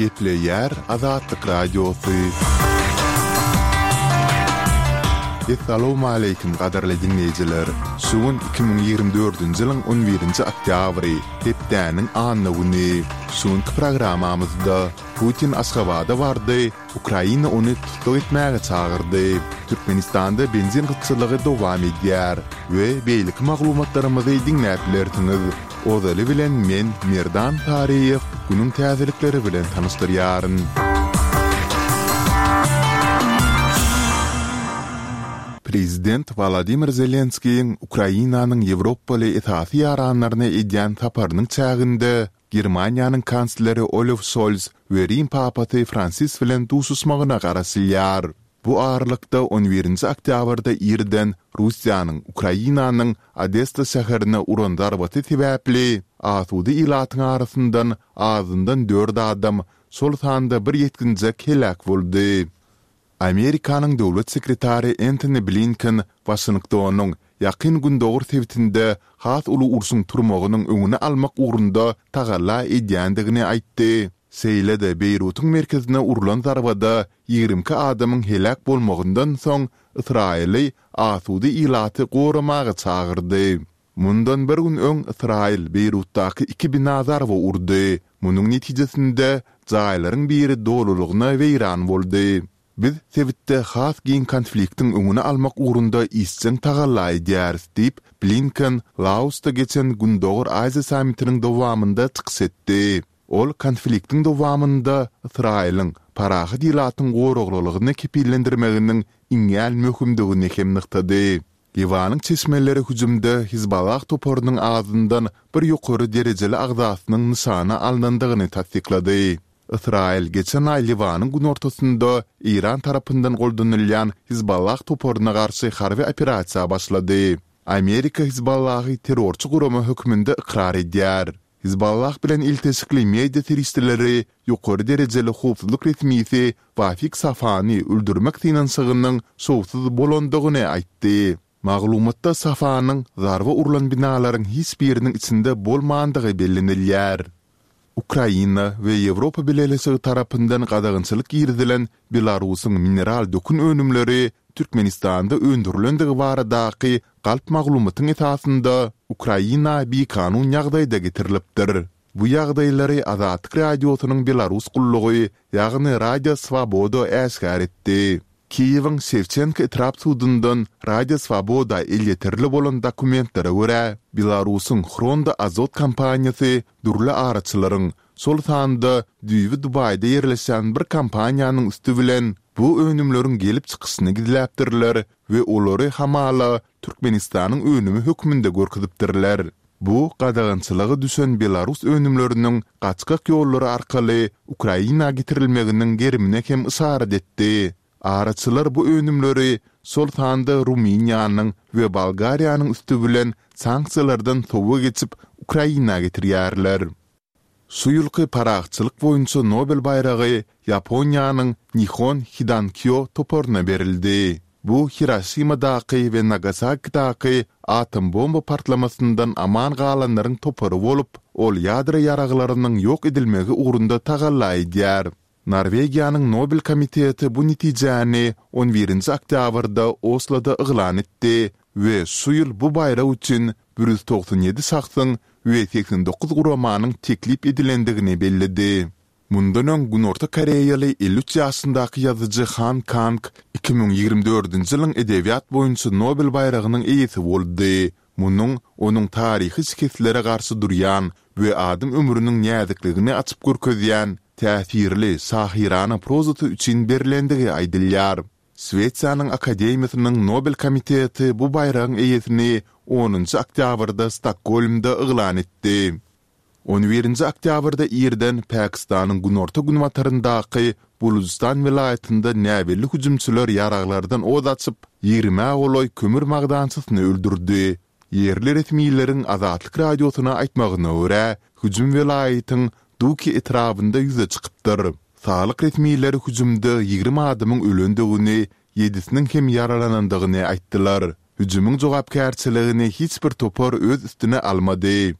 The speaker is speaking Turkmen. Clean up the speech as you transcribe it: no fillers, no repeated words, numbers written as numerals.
Gepleýär Azatlyk Radiosy. Essalawmaleýkim gadyrly diňleýjiler! Şu gün 2024-nji ýylyň on birinji oktýabry, hepdäniň anna güni. Şu günki programmamyzda Putin Aşgabada bardy, Ukraina ony tussag etmäge çagyrdy. Türkmenistanda benzin gytçylygy dowam edýär we beýleki maglumatlarymyzy diňläp bilersiňiz. Ozaly bilen men, Merdan Taryýew, günüň täzelikleri bilen tanyşdyrýaryn. Prezident Wolodymyr Zelenskiýiň Ukrainanyň ýewropaly esasy ýaranlaryna edýän saparynyň çäginde Germaniýanyň kansleri Olaf Şols we Rim papasy Fransis bilen duşuşmagyna garaşylýar. Bu aralykda, on birinji oktýabrda irden Russiýanyň Ukrainanyň Odessa şäherine uran zarbasy sebäpli asuda ilatyň arasyndan azyndan dört adam, şol sanda bir ýetginjek heläk boldy. Amerikanyň döwlet sekretary Entoni Blinken Waşingtonyň Ýakyn Gündogar sebitinde has uly urşuň turmagynyň öňüni almak ugrunda tagalla edýändigini aýtdy. Şeýle-de Beýrutyň merkezine urlan zarbada 22 adamyň heläk bolmagyndan soň Ysraýyly asuda ilaty goramaga çagyrdy. Mundan bir gün öň Ysraýyl Beýrutdaky iki bina zarba urdy. Munuň netijesinde, jaýlaryň biri dolulygyna weýran boldy. Biz sebitde has giň konfliktiň öňüni almak ugrunda işjeň tagalla edýäris diýip, Blinken Laosda geçen Gündogar Aziýa sammitiniň dowamynda çykyş etdi. Ol konfliktiň dowamynda Ysraýylyň parahat ilatyň goraglylygyny kepillendirmeginiň iňňän möhümdigini hem nygtady. Liwanyň çeşmeleri hüjümde Hizballah toparynyň azyndan bir ýokary derejeli agzasynyň nyşana alnandygyny tassyklady. Ysraýyl geçen aý Liwanyň günortasynda Eýran tarapyndan goldanylýan Hizballah toparyna garşy harby operasiýa başlady. Amerika Hizballahy terrorçy gurama hökmünde ykrar edýär. Hizballah bilen ilteşikli media serişdeleri ýokary derejeli howpsuzlyk resmisi Wafik Safany öldürmek synanyşygynyň şowsuz bolandygyny aýtdy. Maglumatda Safanyň zarba urlan binalaryň hiç biriniň içinde bolmandygy bellenilýär. Ukraina we Ýewropa Bileleşigi tarapyndan gadagançylyk girizilen Belarusyň mineral dökün önümleri Türkmenistanda öndürilendigi baradaky galp maglumatyň esasynda Ukraina bikanun ýagdaýda getirilipdir. Bu ýagdaýlary Azatlyk Radiosynyň Belarus gullugy, ýagny Radio Swaboda äşgär etdi. Kiýewiň Şewçenko etrap sudundan Radio Swaboda elýeterli bolan dokumentlere görä, Belarusyň Hrondo Azot kompaniýasy dürli araçylaryň, şol sanda düýbi Dubaýda ýerleşýän bir kompaniýanyň üsti bilen bu önümleriň gelip çykyşyny gizläpdirler we olary hamala Türkmenistanyň önümi hökmünde görkezipdirler. Bu gadagançylyga düşen belarus önümleriniň gaçgak ýollary arkaly Ukraina getirilmeginiň gerimine hem yşarat etdi. Araçylar bu önümleri, şol sanda Rumyniýanyň we Bolgariýanyň üsti bilen sanksiýalardan sowa geçip, Ukraina getirýärler. Şu ýylky Parahatçylyk boýunça Nobel baýragy Ýaponiýanyň Nihon Hidankyo toparyna berildi. Bu Hiroşimadaky we Nagasakidaky atom bomba partlamasyndan aman galanlaryň topary bolup, ol ýadro ýaraglarynyň ýok edilmegi ugrunda tagalla edýär. Norwegiýanyň Nobel komiteti bu netijäni on birinji oktýabrda Osloda yglan etdi we şu ýyl bu baýrak üçin 197 şahsyň we 89 guramanyň teklip edilendigini belledi. Mundan öň Günorta koreýaly 53 ýaşyndaky ýazyjy Han Kang 2024-nji ýylyň edebiýat boýunça Nobel baýragynyň eýesi boldy. Munuň onuň taryhy şikeslere garşy durýan we adam ömrüniň näzikligini açyp görkezýän täsirli şahyrana prozasy üçin berlendigi aýdylýar. Şwesiýanyň Akademiýasynyň Nobel komiteti bu baýragyň eýesini onunjy oktýabrda Stokgolmda yglan etdi. On birinji oktýabrda irden Pakistanyň günorta-günbataryndaky Bulujystan welaýatynda näbelli hüjümçiler ýaraglardan ot açyp, ýigrimä golaý kömür magdançysyny öldürdi. Ýerli resmileriň Azatlyk Radiosyna aýtmagyna görä, hüjüm welaýatyň Duki etrabynda ýüze çykypdyr. Saglyk resmileri hüjümde 20 adamyň ölendigini, ýedisiniň hem ýaralanandygyny aýtdylar. Hüjümiň jogapkärçiligini hiç bir topar öz üstüne almady.